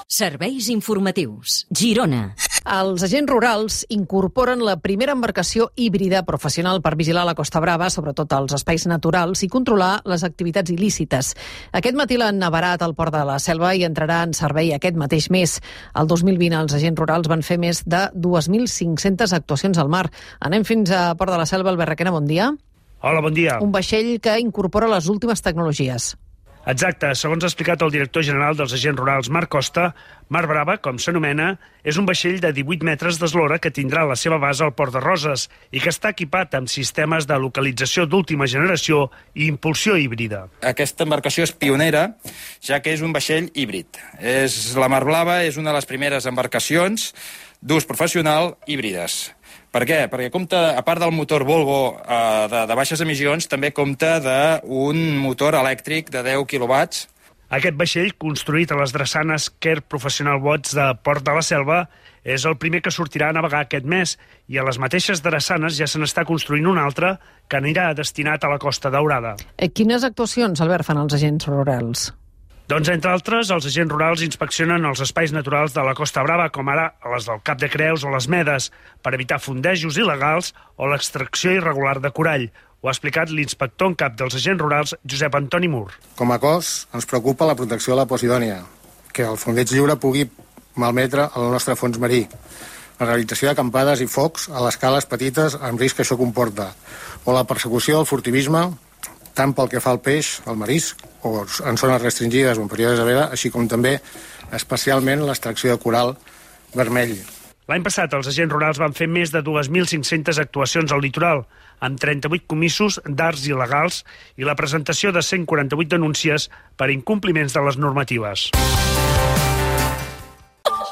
Serveis informatius. Girona. Els agents rurals incorporen la primera embarcació híbrida professional per vigilar la Costa Brava, sobretot als espais naturals, i controlar les activitats il·lícites. Aquest matí l'han avarat al Port de la Selva i entrarà en servei aquest mateix mes. El 2020 els agents rurals van fer més de 2.500 actuacions al mar. Anem fins a Port de la Selva. Albert Requena, bon dia. Hola, bon dia. Un vaixell que incorpora les últimes tecnologies. Exacte. Segons ha explicat el director general dels agents rurals, Marc Costa, Mar Brava, com s'anomena, és un vaixell de 18 metres d'eslora que tindrà la seva base al Port de Roses i que està equipat amb sistemes de localització d'última generació i impulsió híbrida. Aquesta embarcació és pionera, ja que és un vaixell híbrid. La Mar Brava és una de les primeres embarcacions d'ús professional híbrides. Per què? Perquè compta, a part del motor Volvo de baixes emissions, també compta d'un motor elèctric de 10 quilowatts. Aquest vaixell, construït a les drassanes Quer Professional Boats de Port de la Selva, és el primer que sortirà a navegar aquest mes i a les mateixes drassanes ja se n'està construint un altre que anirà destinat a la Costa Daurada. Quines actuacions, Albert, fan els agents rurals? Doncs, entre altres, els agents rurals inspeccionen els espais naturals de la Costa Brava, com ara les del Cap de Creus o les Medes, per evitar fondejos il·legals o l'extracció irregular de corall. Ho ha explicat l'inspector en cap dels agents rurals, Josep Antoni Mur. Com a cos, ens preocupa la protecció de la Posidònia, que el fondeig lliure pugui malmetre el nostre fons marí, la realització d'acampades i focs a les cales petites amb risc que això comporta, o la persecució del furtivisme, tant pel que fa al peix, al marisc, o en zones restringides o en períodes de veda, així com també, especialment, l'extracció de coral vermell. L'any passat, els agents rurals van fer més de 2.500 actuacions al litoral, amb 38 comissos d'arts il·legals i la presentació de 148 denúncies per incompliments de les normatives.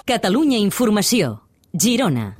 Catalunya Informació. Girona.